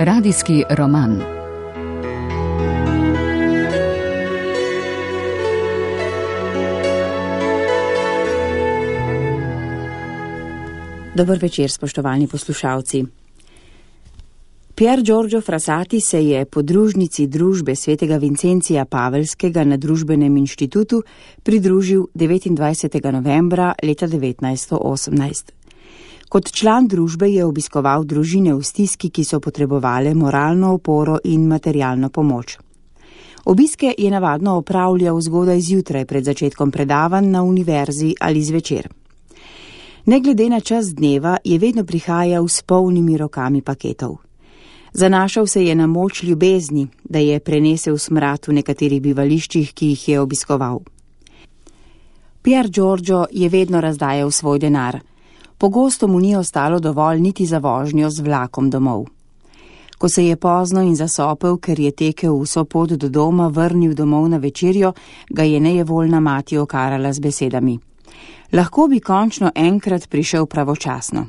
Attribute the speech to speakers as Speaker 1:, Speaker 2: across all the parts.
Speaker 1: Radijski roman.
Speaker 2: Dober večer, spoštovani poslušalci. Pier Giorgio Frassati se je podružnici družbe svetega Vincencija Pavelskega na Družbenem inštitutu pridružil 29. novembra leta 1918. Kot član družbe je obiskoval družine v stiski, ki so potrebovale moralno oporo in materialno pomoč. Obiske je navadno opravljal zgodaj zjutraj pred začetkom predavanj na univerzi ali zvečer. Ne glede na čas dneva je vedno prihajal s polnimi rokami paketov. Zanašal se je na moč ljubezni, da je prenesel smrad v nekaterih bivališčih, ki jih je obiskoval. Pier Giorgio je vedno razdajal svoj denar. Pogosto mu ni ostalo dovolj niti za vožnjo z vlakom domov. Ko se je pozno in zasopel, ker je tekel vso pot do doma, vrnil domov na večerjo, ga je nejevoljna mati okarala z besedami: lahko bi končno enkrat prišel pravočasno.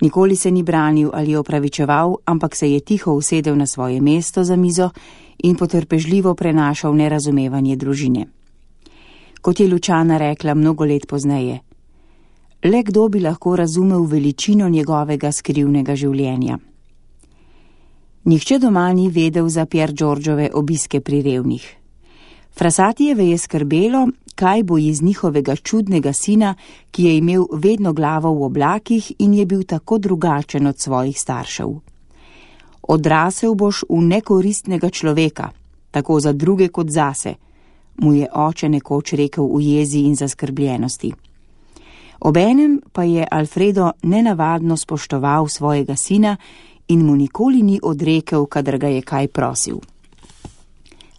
Speaker 2: Nikoli se ni branil ali opravičeval, ampak se je tiho usedel na svoje mesto za mizo in potrpežljivo prenašal nerazumevanje družine. Kot je Lučana rekla mnogo let pozneje: le kdo bi lahko razumel veličino njegovega skrivnega življenja. Nihče doma ni vedel za Pier Giorgiove obiske pri revnih. Frassatijeve je skrbelo, kaj bo iz njihovega čudnega sina, ki je imel vedno glavo v oblakih in je bil tako drugačen od svojih staršev. Odrasel boš v nekoristnega človeka, tako za druge kot zase, mu je oče nekoč rekel v jezi in zaskrbljenosti. Obenem pa je Alfredo nenavadno spoštoval svojega sina in mu nikoli ni odrekel, kadar ga je kaj prosil.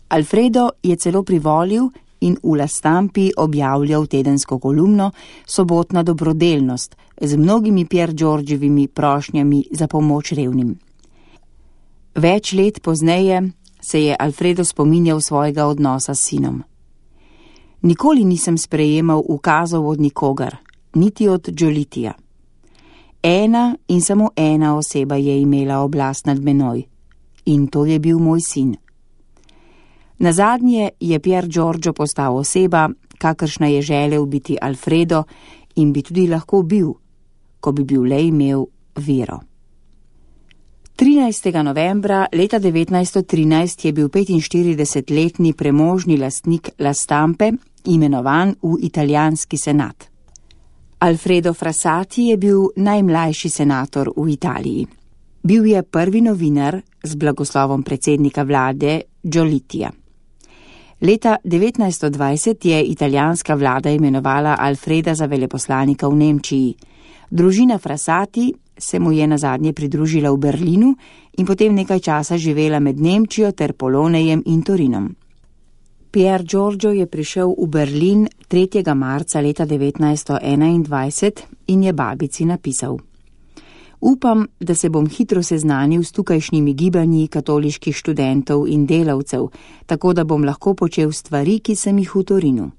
Speaker 2: Alfredo je celo privolil in v La Stampi objavljal tedensko kolumno Sobotna dobrodelnost z mnogimi Pier Giorgiovimi prošnjami za pomoč revnim. Več let pozneje se je Alfredo spominjal svojega odnosa s sinom. Nikoli nisem sprejemal ukazov od nikogar, niti od Giolitija. Ena in samo ena oseba je imela oblast nad menoj, in to je bil moj sin. Nazadnje je Pier Giorgio postal oseba, kakršna je želel biti Alfredo in bi tudi lahko bil, ko bi bil le imel vero. 13. novembra leta 1913 je bil 45-letni premožni lastnik La Stampe imenovan v italijanski senat. Alfredo Frassati je bil najmlajši senator v Italiji. Bil je prvi novinar z blagoslovom predsednika vlade Giolitija. Leta 1920 je italijanska vlada imenovala Alfreda za veleposlanika v Nemčiji. Družina Frassati se mu je nazadnje pridružila v Berlinu in potem nekaj časa živela med Nemčijo ter Polonejem in Torinom. Pier Giorgio je prišel v Berlin 3. marca leta 1921 in je babici napisal: upam, da se bom hitro seznanil s tukajšnjimi gibanji katoliških študentov in delavcev, tako da bom lahko počel stvari, ki sem jih v Torinu.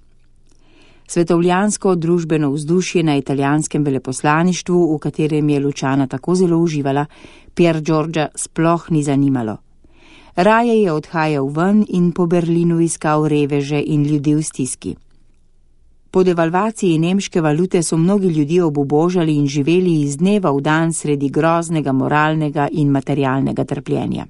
Speaker 2: Svetovljansko družbeno vzdušje na italijanskem veleposlaništvu, v katerem je Lučana tako zelo uživala, Pier Giorgia sploh ni zanimalo. Raje je odhajal ven in po Berlinu iskal reveže in ljudi v stiski. Po devalvaciji nemške valute so mnogi ljudje obubožali in živeli iz dneva v dan sredi groznega moralnega in materialnega trpljenja.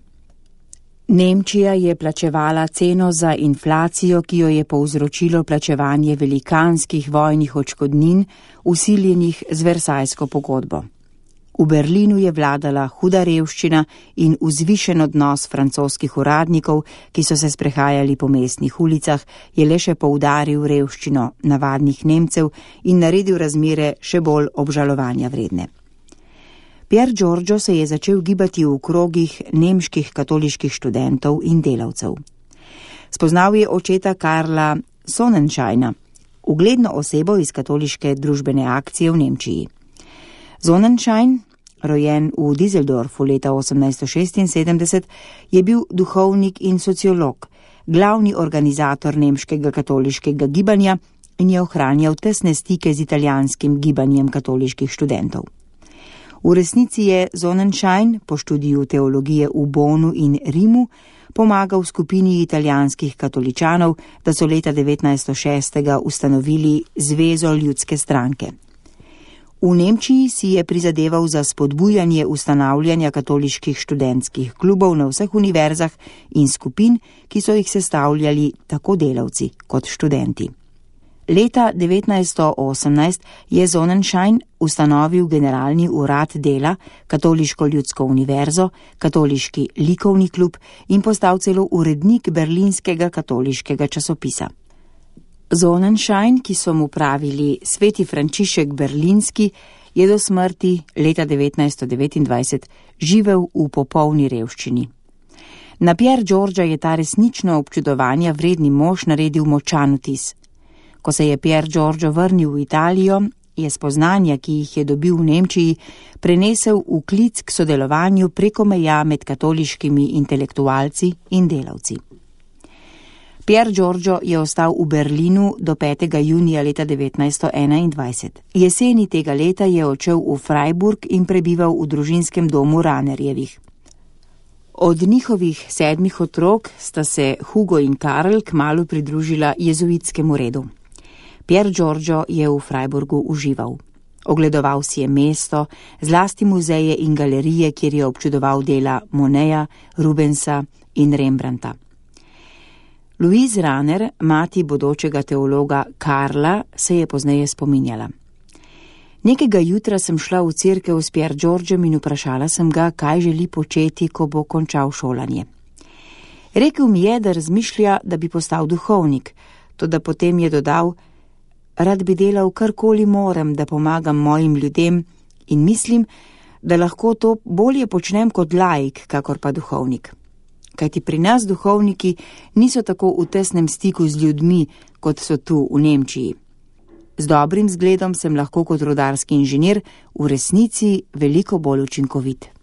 Speaker 2: Nemčija je plačevala ceno za inflacijo, ki jo je povzročilo plačevanje velikanskih vojnih odškodnin, vsiljenih z Versajsko pogodbo. V Berlinu je vladala huda revščina in vzvišen odnos francoskih uradnikov, ki so se sprehajali po mestnih ulicah, je le še poudaril revščino navadnih Nemcev in naredil razmere še bolj obžalovanja vredne. Pier Giorgio se je začel gibati v krogih nemških katoliških študentov in delavcev. Spoznal je očeta Karla Sonnenscheina, ugledno osebo iz katoliške družbene akcije v Nemčiji. Sonnenschein, rojen v Düsseldorfu leta 1876, je bil duhovnik in sociolog, glavni organizator nemškega katoliškega gibanja in je ohranjal tesne stike z italijanskim gibanjem katoliških študentov. V resnici je Sonnenschein po študiju teologije v Bonu in Rimu pomagal skupini italijanskih katoličanov, da so leta 1906 ustanovili Zvezo ljudske stranke. V Nemčiji si je prizadeval za spodbujanje ustanavljanja katoliških študentskih klubov na vseh univerzah in skupin, ki so jih sestavljali tako delavci kot študenti. Leta 1918 je Sonnenschein ustanovil Generalni urad dela, Katoliško ljudsko univerzo, Katoliški likovni klub in postal celo urednik berlinskega katoliškega časopisa. Sonnenschein, ki so mu pravili Sveti Frančišek Berlinski, je do smrti leta 1929 živel v popolni revščini. Na Pier Giorgia je ta resnično občudovanja vredni mož naredil močan vtis. Ko se je Pier Giorgio vrnil v Italijo, je spoznanja, ki jih je dobil v Nemčiji, prenesel v klic k sodelovanju preko meja med katoliškimi intelektualci in delavci. Pier Giorgio je ostal v Berlinu do 5. junija leta 1921. Jeseni tega leta je odšel v Freiburg in prebival v družinskem domu Ranerjevih. Od njihovih 7 otrok sta se Hugo in Karl kmalu pridružila jezuitskemu redu. Pier Giorgio je v Freiburgu užival. Ogledoval si je mesto, zlasti muzeje in galerije, kjer je občudoval dela Moneta, Rubensa in Rembrandta. Louise Raner, mati bodočega teologa Karla, se je pozneje spominjala. Nekega jutra sem šla v cerkev s Pier Giorgiom in vprašala sem ga, kaj želi početi, ko bo končal šolanje. Rekel mi je, da razmišlja, da bi postal duhovnik, toda potem je dodal: rad bi delal karkoli morem, da pomagam mojim ljudem in mislim, da lahko to bolje počnem kot laik, kakor pa duhovnik. Kajti pri nas duhovniki niso tako v tesnem stiku z ljudmi, kot so tu v Nemčiji. Z dobrim zgledom sem lahko kot rudarski inženir v resnici veliko bolj učinkovit.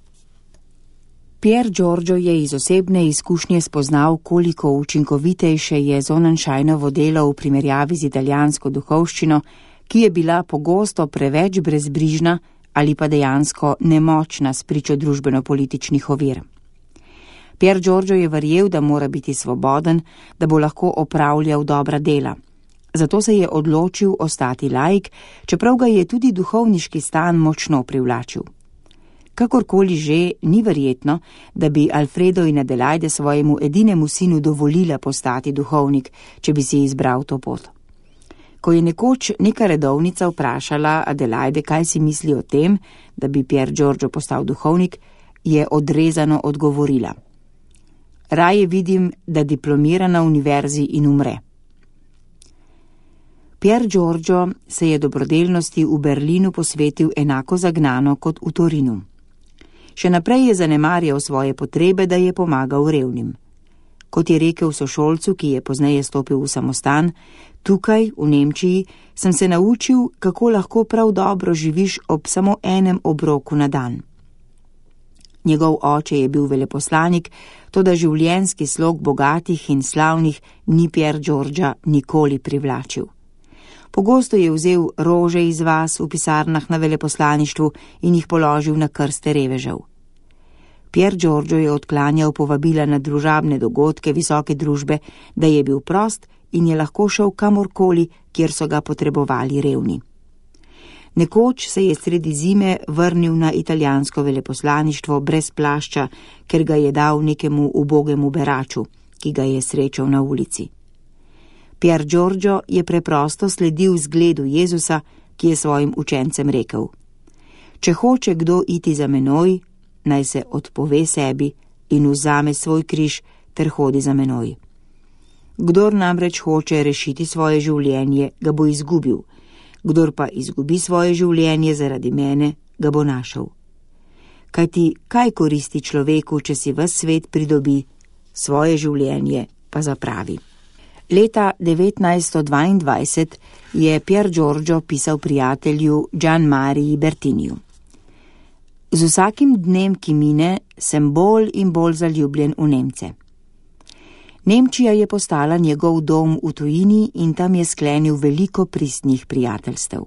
Speaker 2: Pier Giorgio je iz osebne izkušnje spoznal, koliko učinkovitejše je Sonnenscheinovo delo v primerjavi z italijansko duhovščino, ki je bila pogosto preveč brezbrižna ali pa dejansko nemočna spričo družbeno-političnih ovir. Pier Giorgio je verjel, da mora biti svoboden, da bo lahko opravljal dobra dela. Zato se je odločil ostati laik, čeprav ga je tudi duhovniški stan močno privlačil. Kakorkoli že, ni verjetno, da bi Alfredo in Adelaide svojemu edinemu sinu dovolila postati duhovnik, če bi si izbral to pot. Ko je nekoč neka redovnica vprašala Adelaide, kaj si misli o tem, da bi Pier Giorgio postal duhovnik, je odrezano odgovorila: raje vidim, da diplomira na univerzi in umre. Pier Giorgio se je dobrodelnosti v Berlinu posvetil enako zagnano kot v Torinu. Še naprej je zanemarjal svoje potrebe, da je pomagal revnim. Kot je rekel sošolcu, ki je pozneje stopil v samostan, tukaj, v Nemčiji, sem se naučil, kako lahko prav dobro živiš ob samo enem obroku na dan. Njegov oče je bil veleposlanik, toda življenjski slog bogatih in slavnih ni Pier Giorgia nikoli privlačil. Pogosto je vzel rože iz vas v pisarnah na veleposlaništvu in jih položil na krste revežev. Pier Giorgio je odklanjal povabila na družabne dogodke visoke družbe, da je bil prost in je lahko šel kamorkoli, kjer so ga potrebovali revni. Nekoč se je sredi zime vrnil na italijansko veleposlaništvo brez plašča, ker ga je dal nekemu ubogemu beraču, ki ga je srečal na ulici. Pier Giorgio je preprosto sledil zgledu Jezusa, ki je svojim učencem rekel: če hoče kdo iti za menoj, naj se odpove sebi in vzame svoj križ ter hodi za menoj. Kdor namreč hoče rešiti svoje življenje, ga bo izgubil, kdor pa izgubi svoje življenje zaradi mene, ga bo našel. Kajti kaj koristi človeku, če si ves svet pridobi, svoje življenje pa zapravi. Leta 1922 je Pier Giorgio pisal prijatelju Gianmariji Bertiniju: z vsakim dnem, ki mine, sem bolj in bolj zaljubljen v Nemce. Nemčija je postala njegov dom v tujini in tam je sklenil veliko pristnih prijateljstev.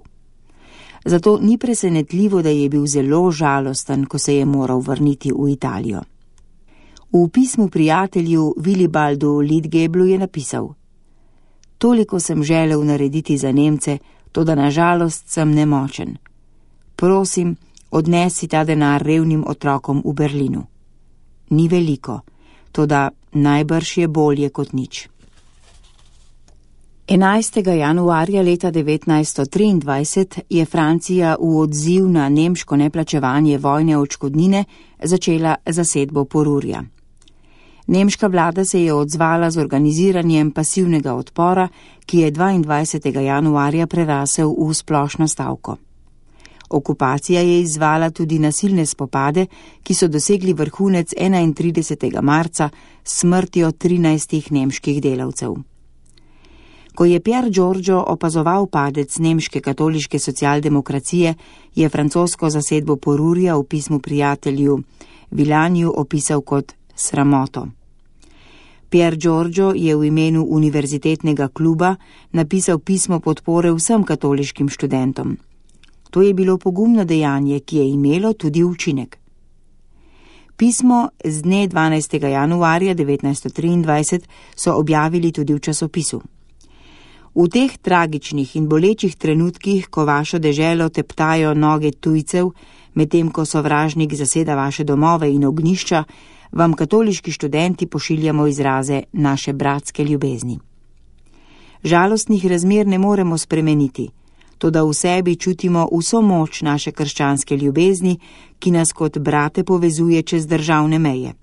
Speaker 2: Zato ni presenetljivo, da je bil zelo žalosten, ko se je moral vrniti v Italijo. V pismu prijatelju Vilibaldu Lidgeblu je napisal: Toliko sem želel narediti za Nemce, toda nažalost sem nemočen. Prosim, odnesi ta denar revnim otrokom v Berlinu. Ni veliko, toda najbrž je bolje kot nič. 11. januarja leta 1923 je Francija v odziv na nemško neplačevanje vojne odškodnine začela zasedbo Porurja. Nemška vlada se je odzvala z organiziranjem pasivnega odpora, ki je 22. januarja prerasel v splošno stavko. Okupacija je izvala tudi nasilne spopade, ki so dosegli vrhunec 31. marca s smrtjo 13 nemških delavcev. Ko je Pier Giorgio opazoval padec nemške katoliške socialdemokracije, je francosko zasedbo Porurja v pismu prijatelju Vilaniju opisal kot sramoto. Pier Giorgio je v imenu univerzitetnega kluba napisal pismo podpore vsem katoliškim študentom. To je bilo pogumno dejanje, ki je imelo tudi učinek. Pismo z dne 12. januarja 1923 so objavili tudi v časopisu. V teh tragičnih in bolečih trenutkih, ko vašo deželo teptajo noge tujcev, medtem ko sovražnik zaseda vaše domove in ognjišča, vam katoliški študenti pošiljamo izraze naše bratske ljubezni. Žalostnih razmer ne moremo spremeniti, toda v sebi čutimo vso moč naše krščanske ljubezni, ki nas kot brate povezuje čez državne meje.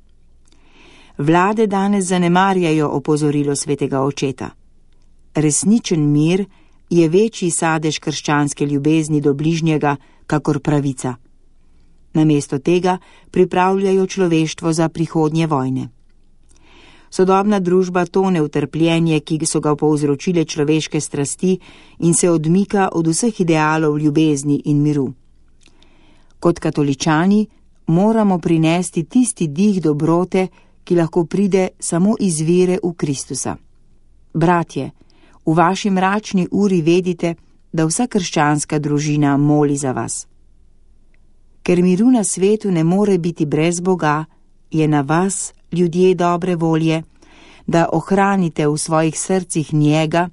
Speaker 2: Vlade danes zanemarjajo opozorilo svetega očeta. Resničen mir je večji sadež krščanske ljubezni do bližnjega, kakor pravica. Namesto tega pripravljajo človeštvo za prihodnje vojne. Sodobna družba tone v trpljenje, ki so ga povzročile človeške strasti in se odmika od vseh idealov ljubezni in miru. Kot katoličani moramo prinesti tisti dih dobrote, ki lahko pride samo iz vere v Kristusa. Bratje, v vaši mračni uri vedite, da vsa krščanska družina moli za vas. Ker miru na svetu ne more biti brez Boga, je na vas, ljudje dobre volje, da ohranite v svojih srcih njega,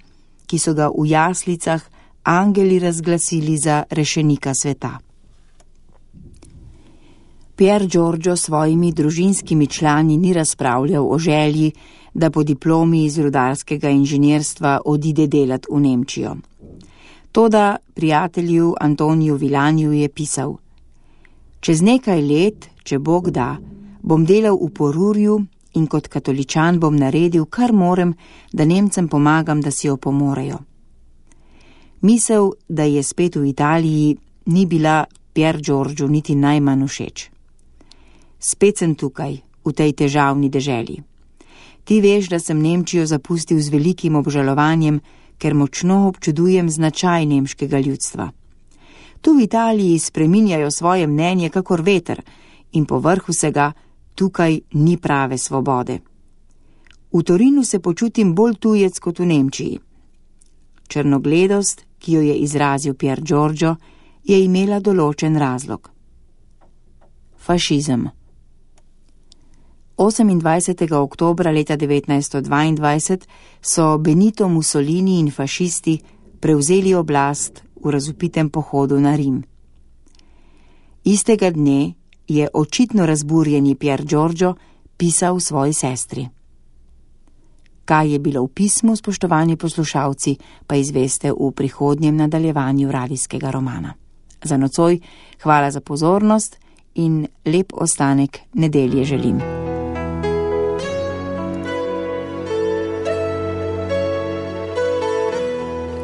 Speaker 2: ki so ga v jaslicah angeli razglasili za rešenika sveta. Pier Giorgio s svojimi družinskimi člani ni razpravljal o želji, da po diplomi iz rudarskega inženirstva odide delat v Nemčijo. Toda prijatelju Antoniju Vilaniju je pisal: Čez nekaj let, če Bog da, bom delal v Porurju in kot katoličan bom naredil, kar morem, da Nemcem pomagam, da si jo pomorejo. Misel, da je spet v Italiji, ni bila Pier Giorgio niti najmanj všeč. Spet sem tukaj, v tej težavni deželi. Ti veš, da sem Nemčijo zapustil z velikim obžalovanjem, ker močno občudujem značaj nemškega ljudstva. Tu v Italiji spreminjajo svoje mnenje kakor veter in povrh vsega tukaj ni prave svobode. V Torinu se počutim bolj tujec kot v Nemčiji. Črnogledost, ki jo je izrazil Pier Giorgio, je imela določen razlog. Fašizem. 28. oktobra leta 1922 so Benito Mussolini in fašisti prevzeli oblast v razvpitem pohodu na Rim. Istega dne je očitno razburjeni Pier Giorgio pisal svoji sestri. Kaj je bilo v pismu, spoštovani poslušalci, pa izveste v prihodnjem nadaljevanju radijskega romana. Za nocoj hvala za pozornost in lep ostanek nedelje želim.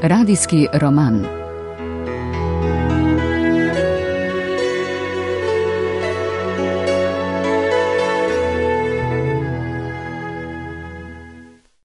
Speaker 1: Radijski roman.